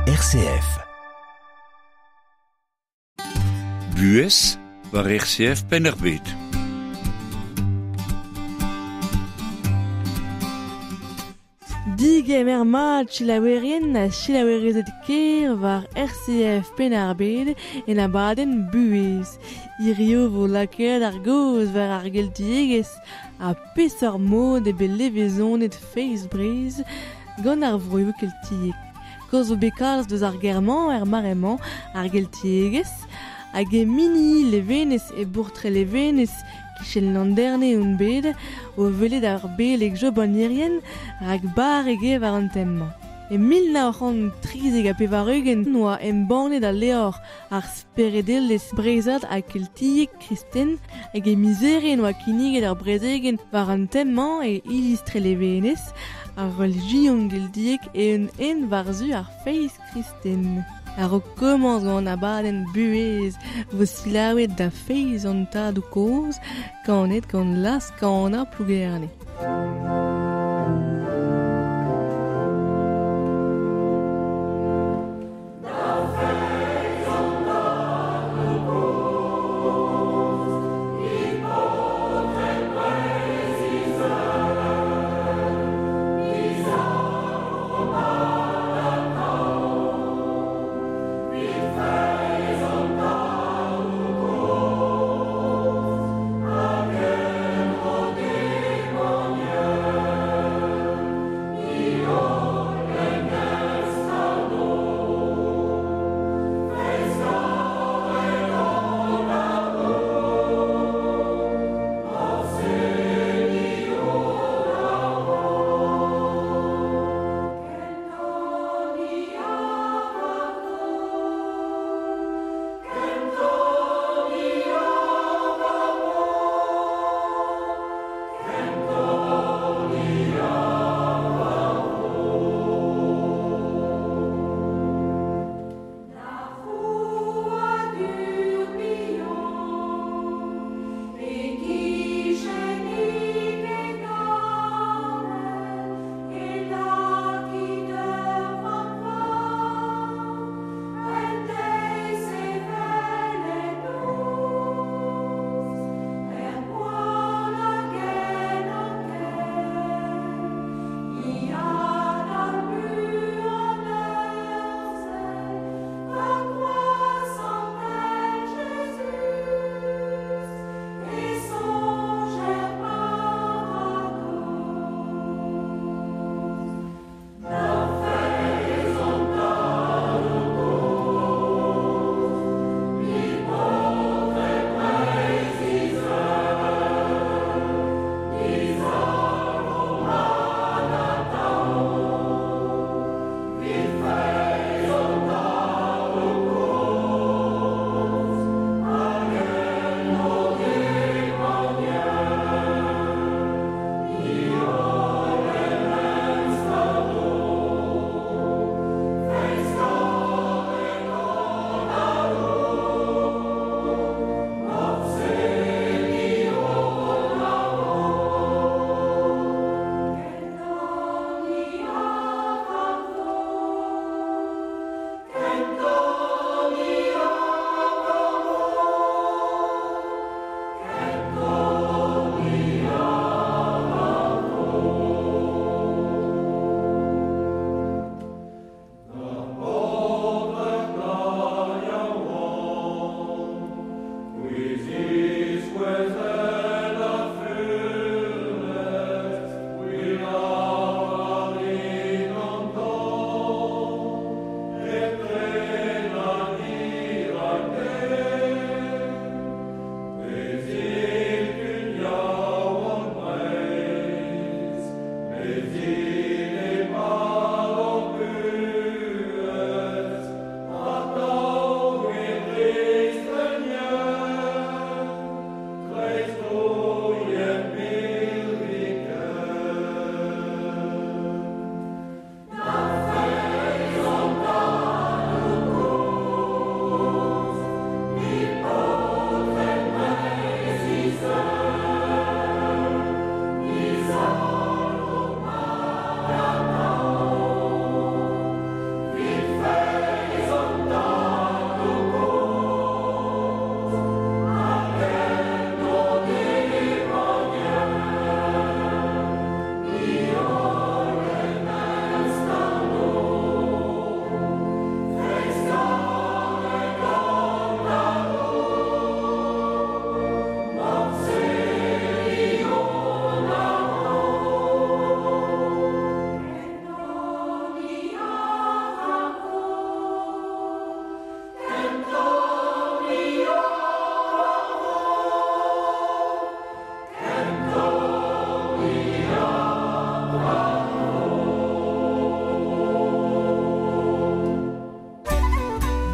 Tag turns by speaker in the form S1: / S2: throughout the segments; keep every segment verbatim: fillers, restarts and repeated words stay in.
S1: R C F.
S2: Buhez war R C F Penn-ar-Bed.
S3: Digemer mat selaouerien ha selaouerezed ker war R C F Penn-ar-Bed en abadenn Buhez. Hirio vo lakaet ar gaoz war ar geltiegezh ha peseurt mod eo bet levezonet feiz Breizh gant ar vroioù keltiek. Kaoz zo bet kalz deus ar ger-mañ er mare-mañ, ar geltiegezh, hag e Minihi Levenez e bourc'h Trelevenez kichen Landerne on bet o welet ar beleg Job an Irien rak barrek eo war an tem-mañ. E mil nav c'hant trizek ha pevar-ugent oa embannet al levr ar speredelezh breizhat ha keltiek kristen hag e miz Here oa kinniget ar brezegenn war an tem-mañ e iliz Trelevenez, ar relijion geltiek eeun-henn war-zu ar feiz kristen. A-raok komañs gant an abadenn Buhez vo selaouet da feiz an tadoù kozh kanet gant laz-kanañ Plougerne.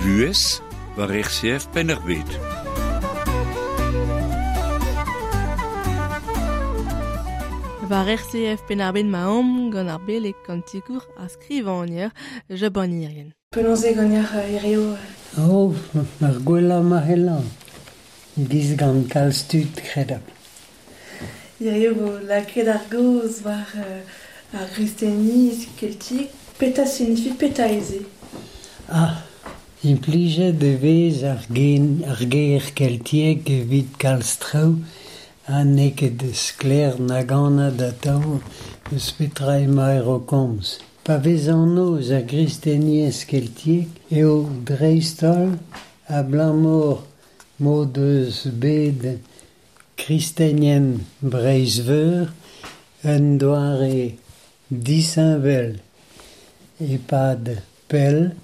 S2: Buhez war R C F Penn-ar-Bed.
S3: War R C F Penn-ar-Bed ma omp gant ar beleg kantikour a skrivagner Jabanirien.
S1: Penaos eo ganeoc'h hirio?
S4: Oh, ar gwellañ ma c'hellan. Giz gant kalz tud kredabl.
S1: Hirio vo lakaet ar gaoz war ar gristeniezh keltiek. Petra signifi petra ez eo?
S4: Ah, implijet e vez ar gen, ar ger keltiek evit kalz traoù ha n'eo ket sklaer nag anat atav eus petra emaer o komz. Pa vez anv eus ar gristeniezh keltiek eo dreist-holl abalamour m'o deus bet kristenien Breizh-Veur un doare disheñvel e-pad pell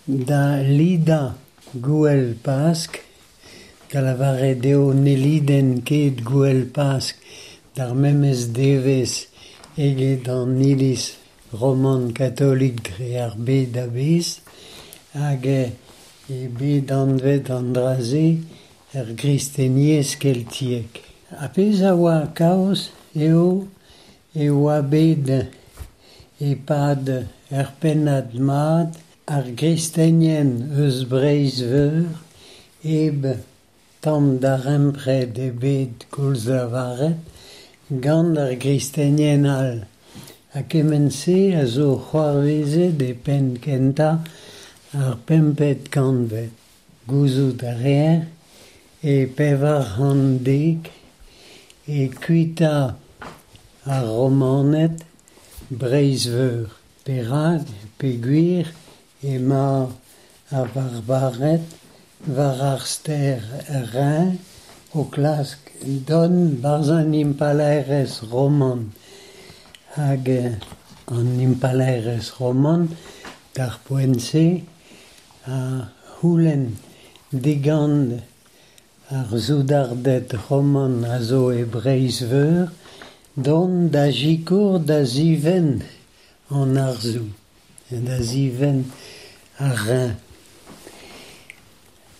S4: da lidañ gouel Pask, da lavaret eo ne lidenn ket gouel Pask d'ar memes devezh eget an iliz roman katolik dre ar bed a-bezh hag e bet anvet an dra-se er gristeniezh keltiek. Ar pezh a oa kaoz eo e oa bet e-pad ur pennad mat ar gristenien eus Breizh-Veur hep tamm darempred ebet koulz lavaret gant ar gristenien all. Ha kement-se a zo c'hoarvezet e penn kentañ ar pempet kantved. Gouzout a reer e pevar c'hant dek e kuita ar Romaned Breizh-Veur. Perak peogwir emañ ar Varbared war ar stêr Rhin o klask dont barzh an impalaerezh roman. Hag an impalaerezh roman d'ar poent-se a c'houlenn digant ar soudarded roman a zo e Breizh-Veur dont da sikour da zivenn an arzoù, da zivenn ar Rhin.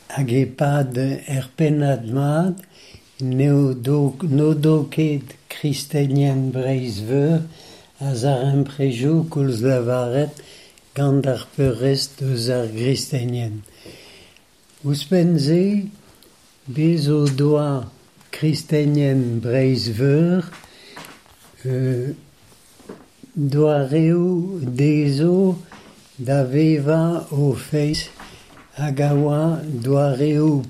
S4: Hag e-pad er pennad mat n'eo do, n'o do ket kristenien Breizh-Veur a zarempredoù koulz lavaret gant ar peurrest eus ar gristenien. Ouzhpenn-se, bez o doa kristenien Breizh-Veur euh, doareoù dezho da vevañ o feiz hag a oa doareoù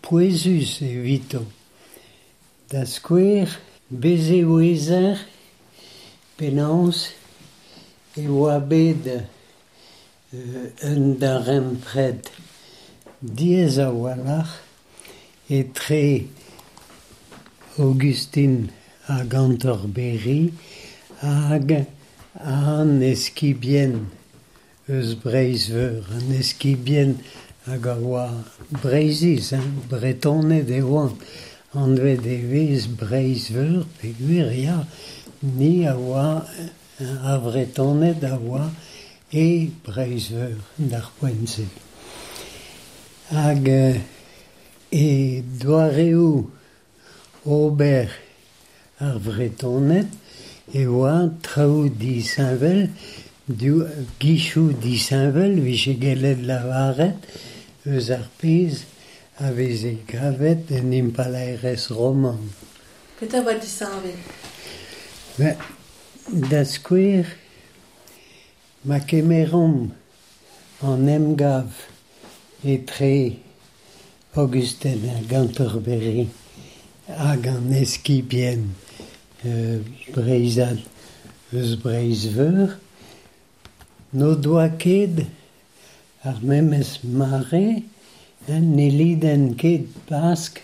S4: pouezus evito. Da skouer, bez e ouezer penaos e oa bet euh, un darempred diaes a-walc'h etre Augustin hag Canterbury hag an eskibien eus Breizh-Veur, an eskibien hag a oa Breizhiz, hein, Bretoned e oant, anvet e vez Breizh-Veur, peogwir ya, ni a oa ar Vretoned a oa e Breizh-Veur d'ar poent-se. Hag e doareoù ober ar Vretoned e oa traoù disheñvel, gichoù disheñvel vije gellet lavaret eus ar pezh a veze kavet en impalaerezh roman.
S1: Petra oa disheñvel?
S4: Ben, da skouer, ma kemeromp an emgav etre Augustin hag Canterbury hag an eskibien euh, breizhad eus Breizh-Veur, n'o doa ket ar memes mare, ne lidenn ket Pask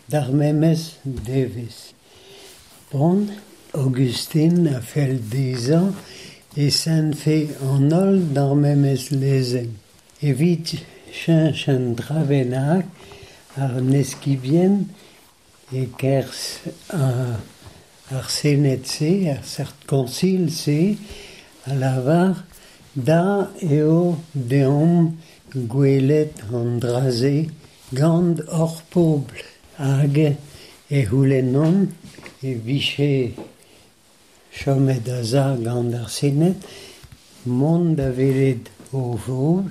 S4: d'ar memes devezh. Bon, Augustin a fell dezhañ e sentfe an holl d'ar memes lezenn. Evit cheñch an dra bennak ar eskibien e-kerzh ar Sened-se, ar seurt koñsil-se, a lavar da eo deomp gwelet an dra-se gant hor pobl hag e c'houlennont e vije chomet a-za gant ar Sened mont da welet o fobl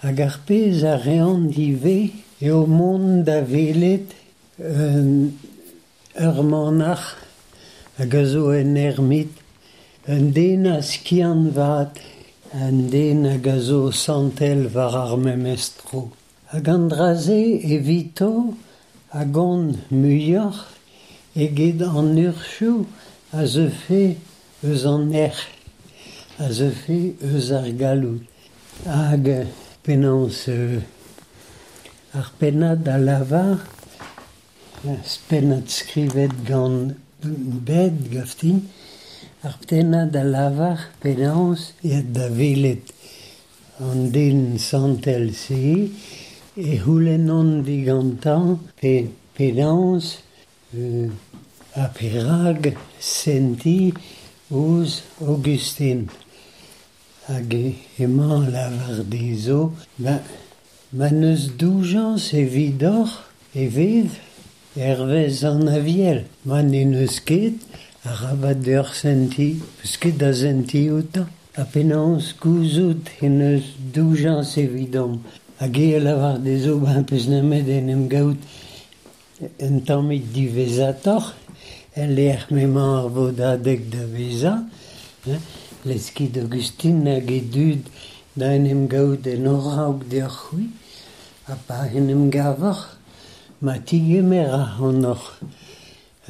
S4: hag ar pezh a reont ivez eo mont da welet un ur manac'h hag a zo un ermit, un den a skiant vat, un den hag a zo santel war ar memes tro. Hag an dra-se evito a gont muioc'h eget an urzhioù a zeufe eus an nec'h, a zeufe eus ar galloud. Hag penaos euh, ar pennad a lavar, pennad skrivet gant bed gaftin, ar pennad a lavar penaos e da welet an den santel-se e c'houlennont digantañ pe penaos euh, ha perak sentiñ ouzh Augustin. Hag emañ lavar dezho, ma, ma n'eus doujañs evidoc'h e vez hervez an Aviel. Ma n'en eus ket, arabat deoc'h sentiñ, peus ket da sentiñ outañ. Ha penaos gouzout en eus doujañs evidomp. Hag eo lavar dezho ben peus nemet en em gaout un tammig diwezhatoc'h, el lec'h m'emañ ar vodadeg da vezañ, hein, leskit Augustin hag e dud da en em gaout en a-raok deoc'h c'hwi, ha pa en em gavoc'h, ma tigemer ac'hanoc'h,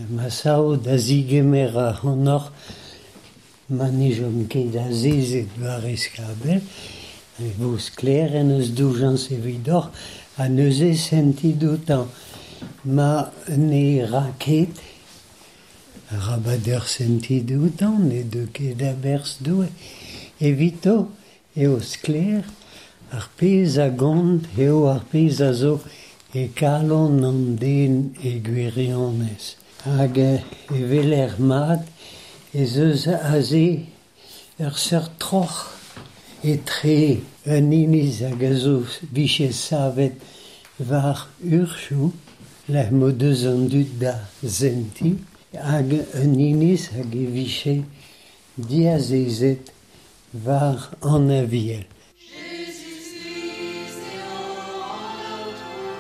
S4: ma sav da zigemer ac'hanoc'h, ma ne chom ket azezet war e skabell, e vo sklaer en eus doujañs evidoc'h ha neuze sentit outañ. Ma ne ra ket, arabat deoc'h sentit outañ, ne deu ket a-berzh Doue. Evito eo sklaer ar pezh a gont eo ar pezh a zo e kalon an den e gwirionez. Hag e weler mat ez eus aze ur seurt troc'h etre un iliz hag a zo vije savet war urzhioù, lec'h m'o deus an dud da sentiñ, hag un iliz hag e vije diazezet war an Aviel.
S5: Jezuz-Krist eo an Aotrou,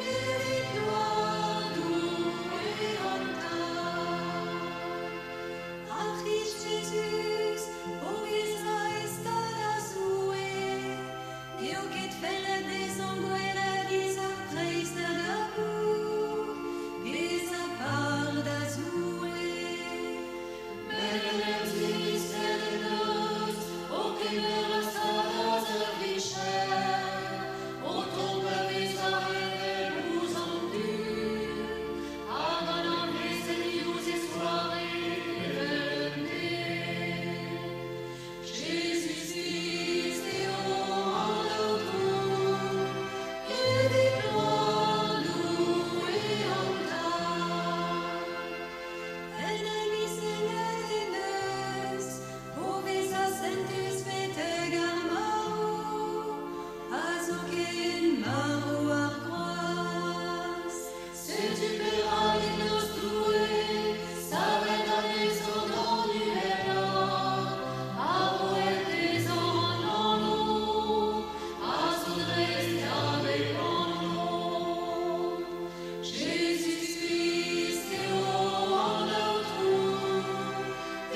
S5: evit gloar Doue an Tad. Ar C'hrist Jezuz, o vezañ e stad a Zoue, n'eo ket fellet dezhañ gwelet giz ar preizh da gaout, bezañ par da Zoue. Met en em ziskennet en deus, o kemer ar stad a servijer, o tont da vezañ heñvel ouzh an dud, hag anavezet diouzh e zoare evel un den. Jezuz-Krist eo an Aotrou, evit gloar Doue an Tad. En em izelet en deus, o vezañ sentus betek ar marv, ha zoken marv ar groaz. Setu perak en deus Doue savet anezhañ d'an uhelañ, ha roet dezhañ an anv a zo dreist da bep anv. Jezuz-Krist eo an Aotrou,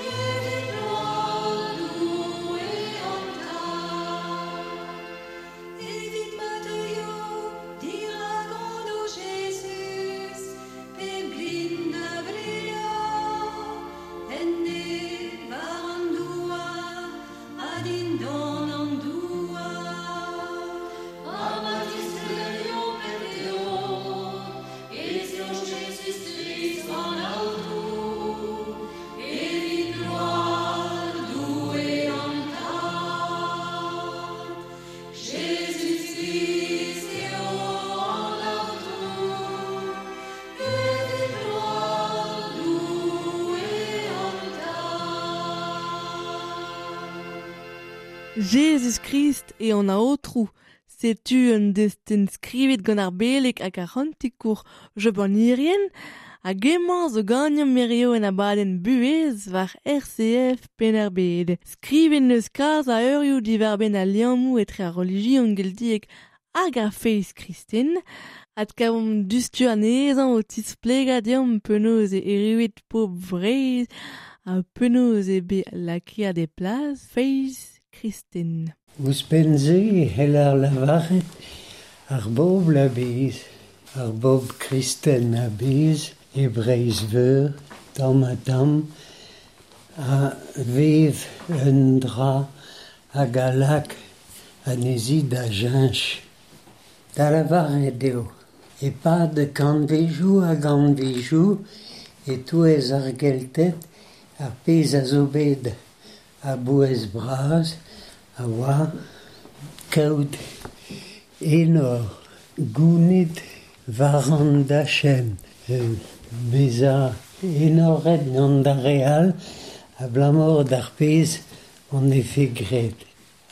S5: evit gloar Doue an Tad. Evit ma teuio dirak anv Jezuz, pep glin da blegañ, en neñv war an douar ha dindan an douar. Ha ma tisklerio pep teod ez eo Jezuz-Krist an Aotrou, evit gloar Doue an Tad. Jezuz-Krist eo an Aotrou, evit gloar Doue an Tad.
S3: Jezuz Krist e an aotrou, setu un destenn skrivet gant ar beleg hag ar c'hantikour Job an Irien, hag emañ zo ganeomp hirio en abadenn buhez war R C F Penn-ar-Bed. Skrivet n'eus kalz a eurioù diwar-benn al liammoù etre ar relijion geltiek hag ar feiz kristen. Adkavomp dustu anezhañ o tisplegañ deomp penaos e erruet pobl Vreizh ha penaos eo bet lakaet e plas feiz kristen.
S4: Ouzhpenn-se e c'heller lavaret ar bobl a-bezh, ar bobl kristen a-bezh e Breizh-Veur, tamm-ha-tamm, a vev un dra hag a lak anezhi da cheñch. Da lavaret eo, e-pad kantvedoù hag kantvedoù e-touez ar Gelted ar pezh a zo bet a-bouez bras a oa kaout enor gounit war an dachenn, bezañ enoret gant ar re all abalamour d'ar pezh hon defe graet.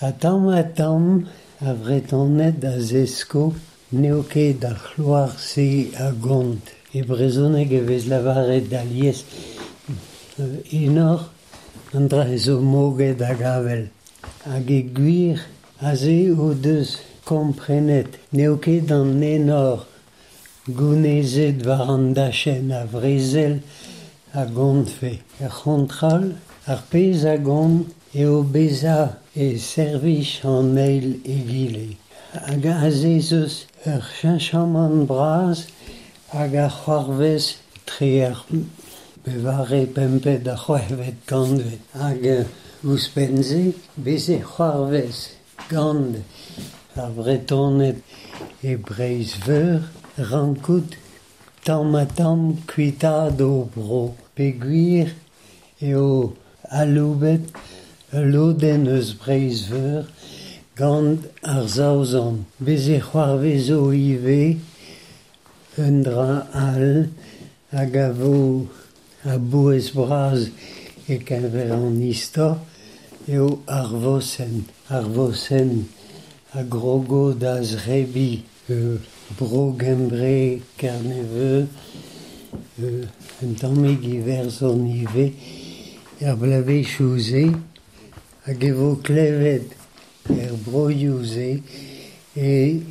S4: Ha tamm-ha-tamm ar Vretoned a zesko n'eo ket ar c'hloar-se a gont. E brezhoneg e vez lavaret alies enor an dra zo moged hag avel. Hag e gwir aze o deus komprenet n'eo ket an enor gounezet war an dachenn a vrezel a gontfe. Er c'hontral, ar pezh a gont eo bezañ e servij an eil egile. Hag aze ez eus ur cheñchamant bras hag ar c'hoarvez tre ar pevare pempet ha c'hwec'hvet kantved. Hag ouzhpenn-se, bez e c'hoarvez gant ar Vretoned e Breizh-Veur rankout tamm-ha-tamm kuitaat o bro. Peogwir eo aloubet ul lodenn eus Breizh-Veur gant ar Saozon. Bez e c'hoarvezo ivez un dra all hag a vo a-bouez bras e-keñver an istor eo ar vosenn. Ar vosenn a grogo da zrebiñ euh, bro Gembre, Kerneveu, euh, un tammig Iwerzhon ivez, er bloavezhioù-se, hag e vo klevet er broioù-se e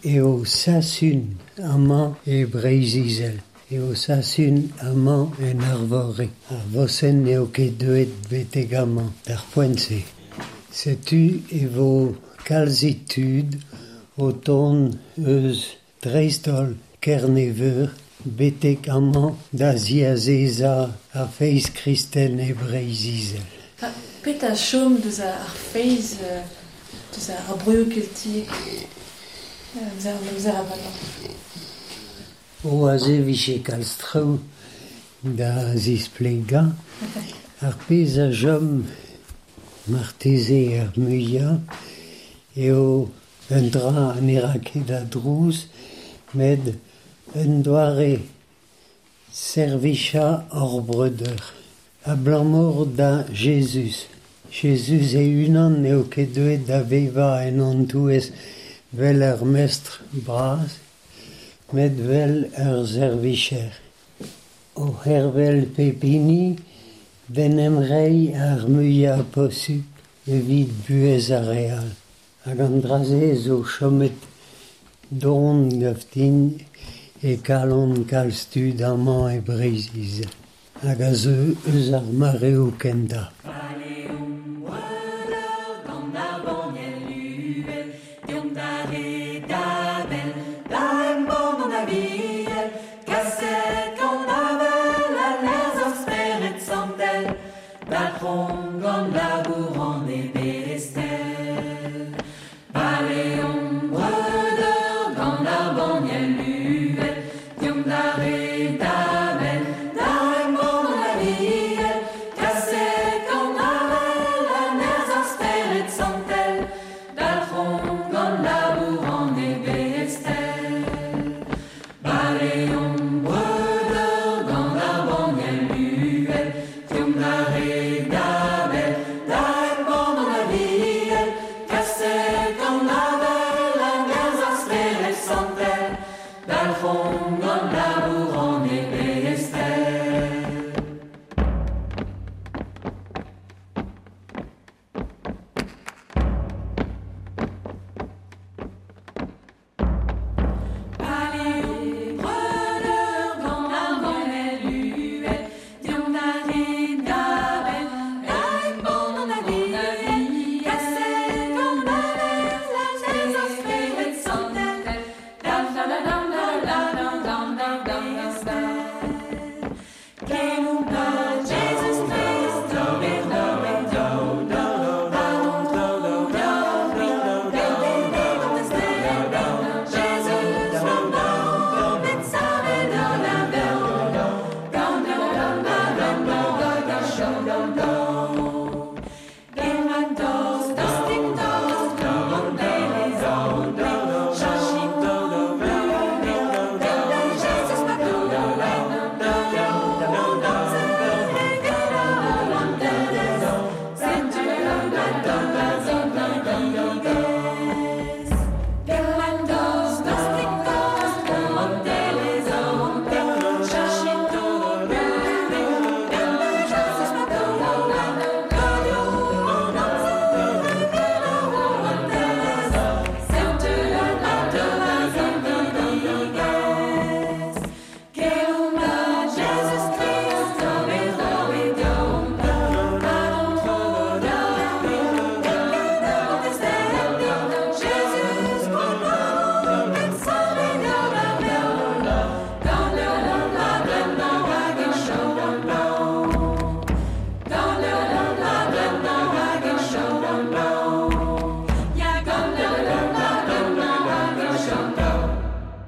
S4: eo Sasun amañ e Breizh-Izel. Eo Sasun amañ en Arvorig. Ar vosenn n'eo ket deuet betek amañ, d'ar poent-se. Setu e vo kalzik tud o tont eus dreist-holl Kerneveur betek amañ da ziazezañ ar feiz kristen e Breizh-Izel.
S1: Ha petra chom deus ar feiz, deus ar broioù keltiek, amzer an amzer a-vremañ?
S4: O aze vije kalz traoù da zisplegañ. Ar pezh a chom marteze ar muiañ eo un dra ne ra ket a drouz, met un doare servichañ hor breudeur. Abalamour da Jezuz. Jezuz e-unan n'eo ket deuet da vevañ en hon touez vel ur mestr bras, met vel ur servijer. O c'hervel pep hini d'en em reiñ ar muiañ posupl evit buhez ar re all. Hag an dra-se zo chomet don gaftin e kalon kalz tud amañ e Breizh-Izel. Hag a zeu eus ar mareoù kentañ.
S5: Kaset gant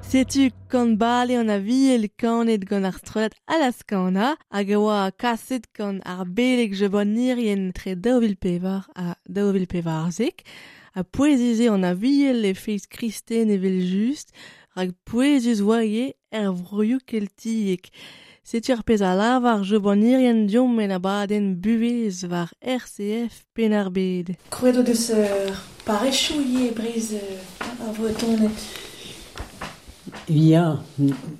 S3: Setu kan bale an aviel kanet gant ar strollad Alaskana hag e oa kaset gant ar beleg jebanirien tre daou vil pevar ha daou vil pevarzek ha pouezize an aviel e feiz kristen evel just rak pouezus oa ivez er vroioù keltiek. Setu ar pezh a lavar jebanirien diomp en abadenn buhez war R C F Penn-ar-Bed.
S1: Krouet o deus ur parrezioù ivez Breizh ar Vretoned.
S4: Ya,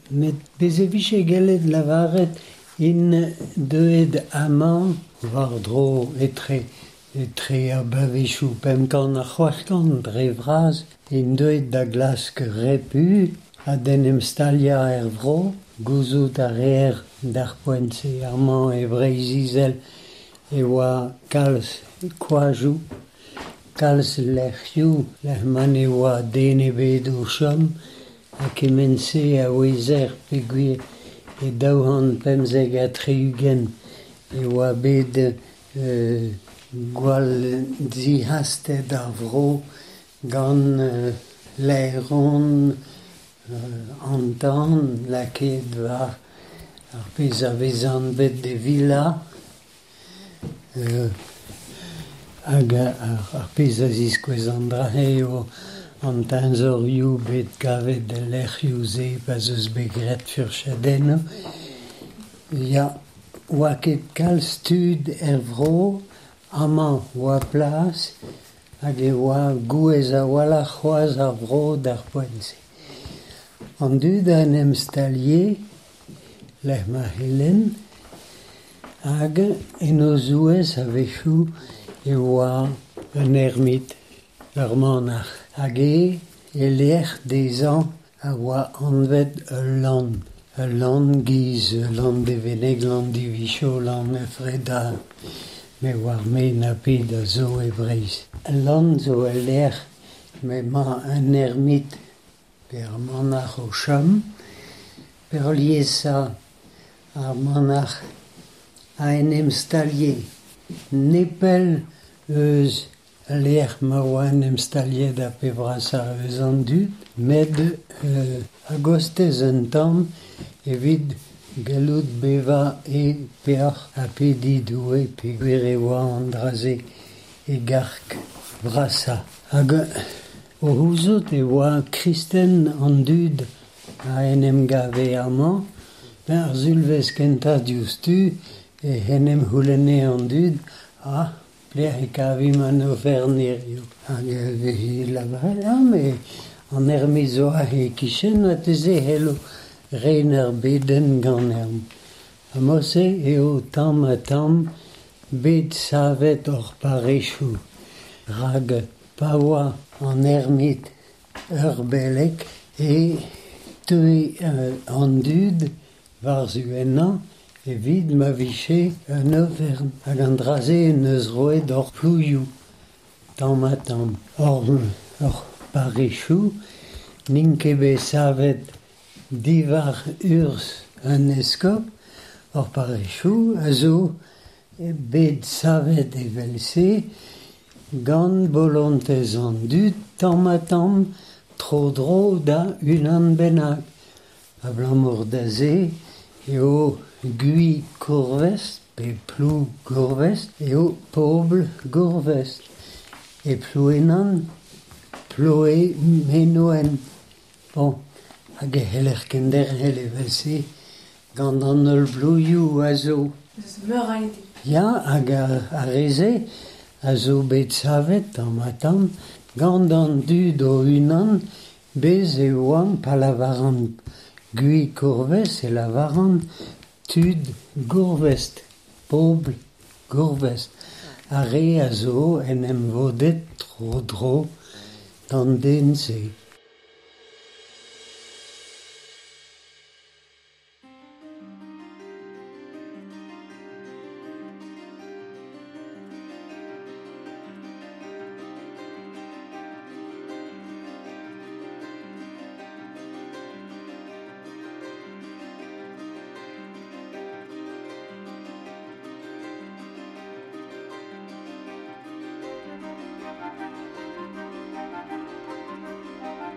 S4: met bez e vije gellet lavaret in deuet amañ war-dro etre, etre ar bloavezhioù pemp kant ha c'hwec'h kant dre vras in deuet da glask repu ha d'en em staliañ er vro, gouzout a reer d'ar poent-se amañ e Breizh-Izel e oa kalz koajoù, kalz lec'hioù, lec'h ma ne oa den ebet o chom, ha kement-se a ouezer peogwir e daou c'hant pemzek ha tri-ugent e oa bet euh, gwall zihastet ar vro gant euh, laeron euh, an tan lakaet war ar pezh a vez anvet de villa euh, hag ar, ar pezh a ziskouez an dra-se eo an teñzorioù bet kavet el lec'hioù-se pa'z eus bet graet furchadennoù. Ya, oa ket kalz tud er vro, amañ oa plas, hag e oa gouez a-walc'h c'hoazh ar vro d'ar poent-se. An dud a en em stalie, lec'h ma c'hellen, hag en o zouez a-wechoù e oa un ermit, ur manac'h. Hag e e lec'h dezhañ a oa anvet ul lann. Ul lann giz, lann Deveneg, lann Divicho, lann Efreda, me oar me na pet a zo e Breizh. Ul lann zo ul lec'h m'emañ un ermit pe ar manac'h o chom, peurliesañ ar manac'h a en em stalie nepell eus lec'h ma oa en em staliet ar pe vrasañ eus an dud, met euh, a-gostez un tamm evit gallout bevañ e peoc'h ha pediñ Doue peogwir e oa an dra-se e garg vrasañ. Hag o c'houzout e oa kristen an dud a en em gave amañ, ben ar sulvezh kentañ diouzhtu e en em c'houlenne an dud ah, pelec'h e kavimp an oferenn hiziv. Hag e veze lavaret, ah, me an ermit zo aze e-kichen marteze c'hello ren ar bedenn ganeomp. Ha mod-se eo tamm ha tamm bet savet hor parrezioù. Rak pa oa an ermit ur beleg e teue an dud war-zu ennañ evit ma vije un oferenn. Hag an dra-se en deus roet hor plouioù tamm ha tamm. Hor, hor parrezioù n'int ket bet savet diwar urzh un eskob, hor parrezioù a zo bet savet evel-se gant bolontez an dud tamm ha tamm tro-dro da unan bennak. Abalamour da se eo Gui Gourvest pe Plou Gourvest eo pobl Gourvest. E Plouenan, Ploe Menoen. Bon, hag e c'heller kenderc'hel evel-se gant an holl blouioù a zo.
S1: Eus meur a hini.
S4: Ya, hag ar, ar re-se a zo bet savet tamm ha tamm gant an dud o-unan bez e oant pa lavaran Gui Gourvest e lavaran tud Gourvest, pobl Gourvest. Ar re a zo en em vodet tro-dro d'an den-se.
S5: Thank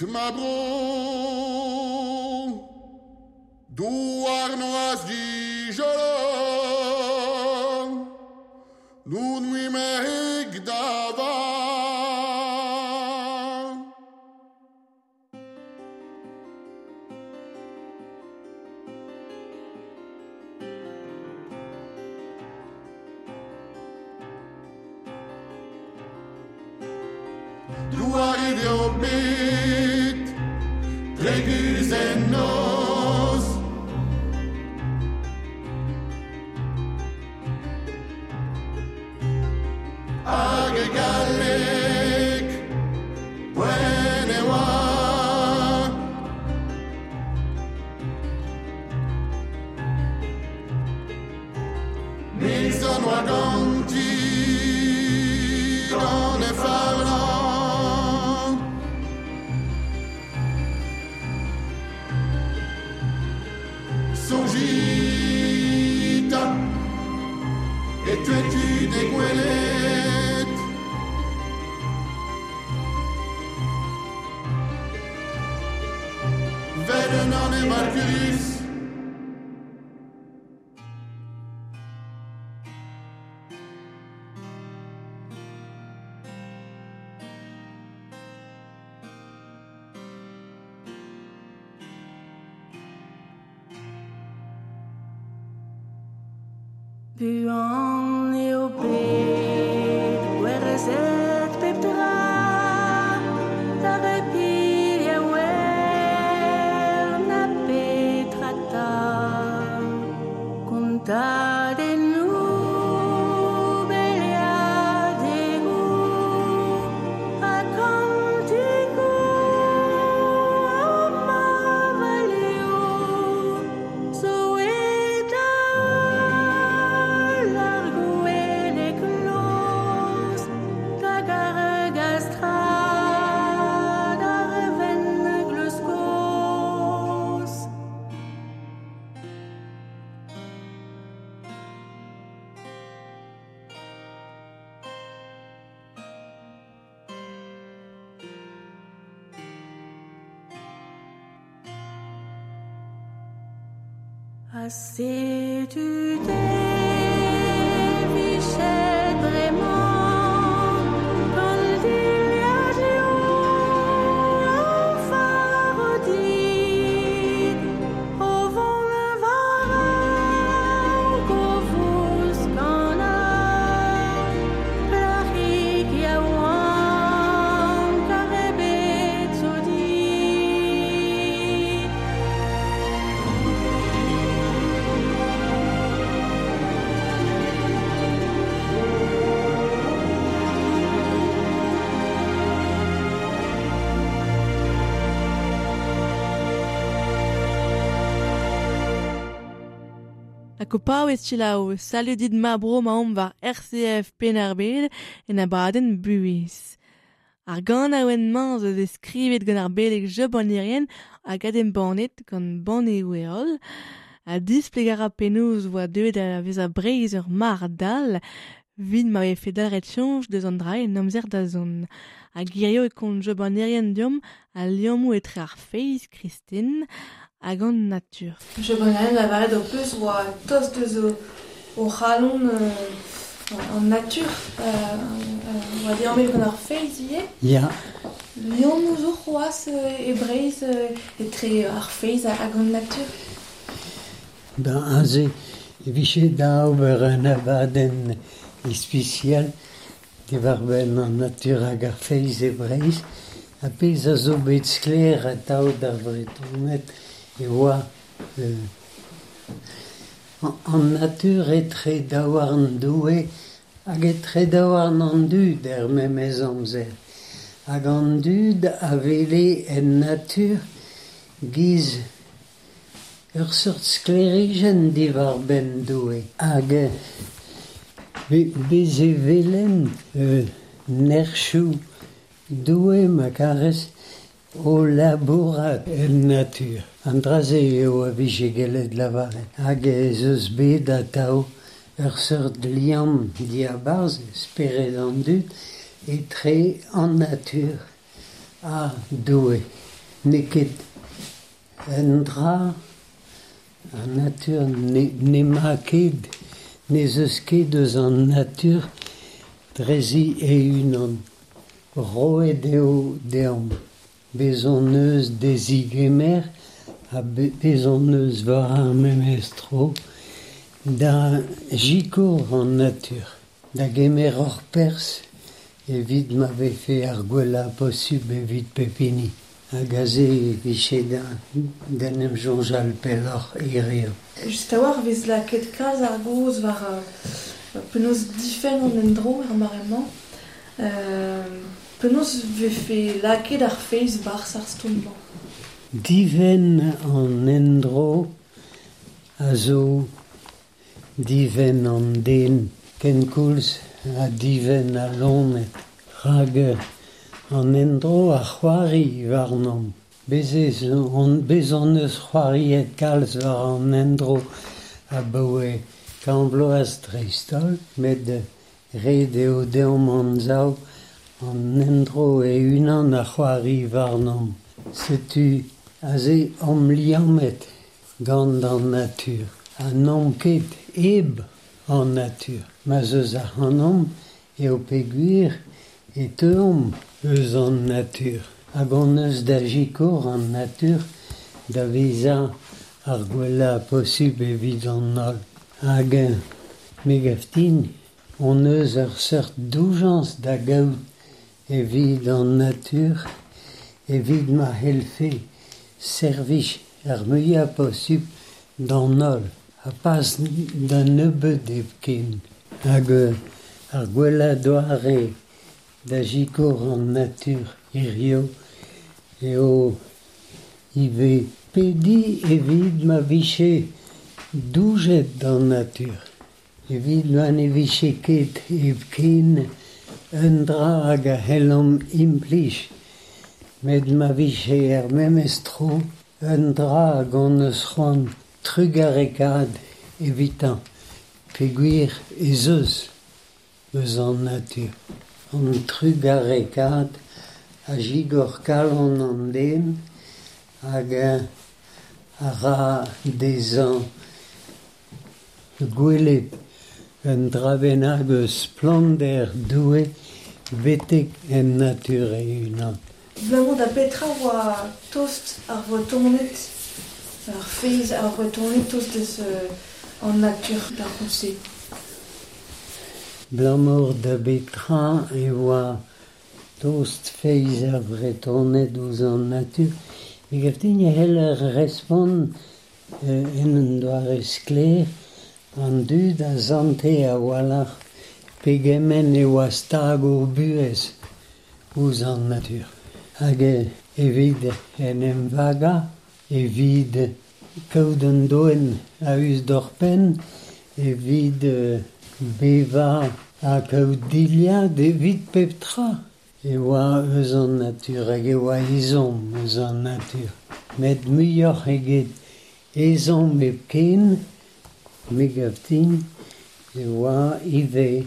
S6: dit ma bro Douar noaz dijolo Nun mui mehig dava Douar eo bet Dreguz en noz Hag e galleg poent e oa Mil zon oa ganti gant e farlant Sonjita e tuetu de gwelet Vel un an e Malcurus
S7: Buan eo bet gwerezet pep tra Da repil a wer na petra ta Kontadennoù beleadegoù Ha kantigoù marvalioù Zo eta ar gouelek loz Hag ar gastrad ar venn gleuz kozh Ha setu te vichet bremañ Gant dilhad leo a faro dit O vont war raok o vouskanañ Plac'hig yaouank ar bet zo dit
S3: Ha kopaouez chilaou, salut dit ma bro ma omp war R C F Penn-ar-Bed en abadenn buhez. Ar ganaouenn mañ zo deus skrivet gant ar beleg Job an Irien hag adembannet gant banneoù heol. Ha displeg a ra penaos oa deuet da vezañ Breizh ur mar dall, vit ma vefe dalc'het soñj deus an dra en amzer da zont. Hag hirio e kont Job an Irien deomp al liammoù etre ar feiz kristen hag an natur.
S1: Job an Irien lavaret o peus oa tost deus o, o c'halon euh, an natur euh, euh, oa liammet gant ar feiz ivez.
S4: Ya.
S1: Liammoù zo c'hoazh euh, e Breizh euh, etre ar feiz hag an natur.
S4: Ben aze e vije da ober un abadenn ispisial diwar-benn an natur hag ar feiz e Breizh ha pezh a zo bet sklaer atav d'ar Vretoned e oa euh, an natur etre daouarn Doue hag etre daouarn an dud er memes amzer. Hag an dud a wele en natur giz ur seurt sklêrijenn diwar-benn Doue. Hag be, bez e welen euh, nerchoù Doue ma karez o labourat en natur. An dra-se eo a vije gellet lavaret. Hag ez eus bet atav ur seurt liamm diabarzh spered an dud etre an natur ha Doue. N'eo ket un dra, an natur n'ema ket, n'ez eus ket eus an natur drezi e-unan. Roet eo deomp. Bez hon eus dezigemer ha bez hon eus war ar memes tro da sikour an natur, da gemer hor perzh evit ma vefe ar gwellañ posubl evit pep hini. Hag aze e vije da, d'en em soñjal pelloc'h hiziv.
S1: Just a-walc'h vez lakaet kalz ar gaoz war euh, penaos difenn an endro er mare-mañ. Euh, penaos vefe lakaet ar feiz barzh ar stourm-mañ?
S4: Difenn an endro a zo difenn an den kenkoulz ha difenn al loened. Rak an endro a c'hoari warnomp. Bez ez on, bez hon eus c'hoariet kalz war an endro abaoe kant vloaz dreist-holl, met ret eo deomp anzav an endro e-unan a c'hoari warnomp. Setu aze omp liammet gant an natur. Ha n'omp ket hep an natur. Ma'z eus ac'hanomp eo peogwir e teuomp eus an natur. Hag hon eus da sikour an natur da vezañ ar gwellañ posubl evit an holl. Hag me gav din hon eus ur seurt doujañs da gaout evit an natur, evit ma c'hellfe servij ar muiañ posubl d'an holl, ha pas da nebeut hepken. Hag ar gwellañ doare da sikour an natur hiziv eo ivez pediñ evit ma vije doujet d'an natur. Evit ma ne vije ket hepken un dra hag a c'hellomp implij, met ma vije er memes tro un dra hag hon eus c'hoant trugarekaat evitañ, peogwir ez eus eus an natur. An trugarekaat a zigor kalon an den hag a ra dezhañ gwelet un dra bennak eus splannder Doue betek en natur e-unan.
S1: Abalamour da petra oa tost ar Vretoned, ar feiz ar Vretoned tost eus an natur d'ar c'houlz-se?
S4: Abalamour da betra e oa tost feiz ar Vretoned ouzh an natur. Me gav din e c'heller respont en un doare sklaer an dud a sante a-walc'h pegement e oa stag o buhez ouzh an natur. Hag evit en em vagañ, evit kaout an doenn a-us d'hor penn, evit bevañ ha kaout dilhad evit pep tra e oa eus an natur hag e oa ezhomm eus an natur. Met muioc'h eget ezhomm hepken, me gav din, e oa ivez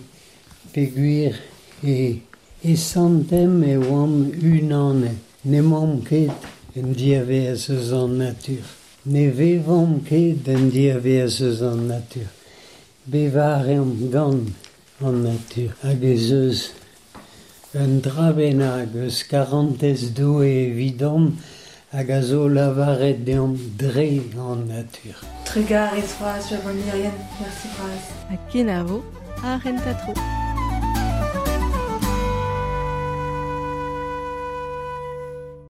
S4: peogwir e e santemp e oamp unanet. N'emaomp ket en diavaez eus an natur. Ne vevomp ket en diavaez eus an natur. Bevañ a reomp gant an natur. Hag ez eus un dra bennak eus karantez Doue evidomp hag a zo lavaret deomp dre an natur.
S1: Trugarez vras, Jaban Irien. Merci bras.
S3: Ha kenavo, ar renta tro.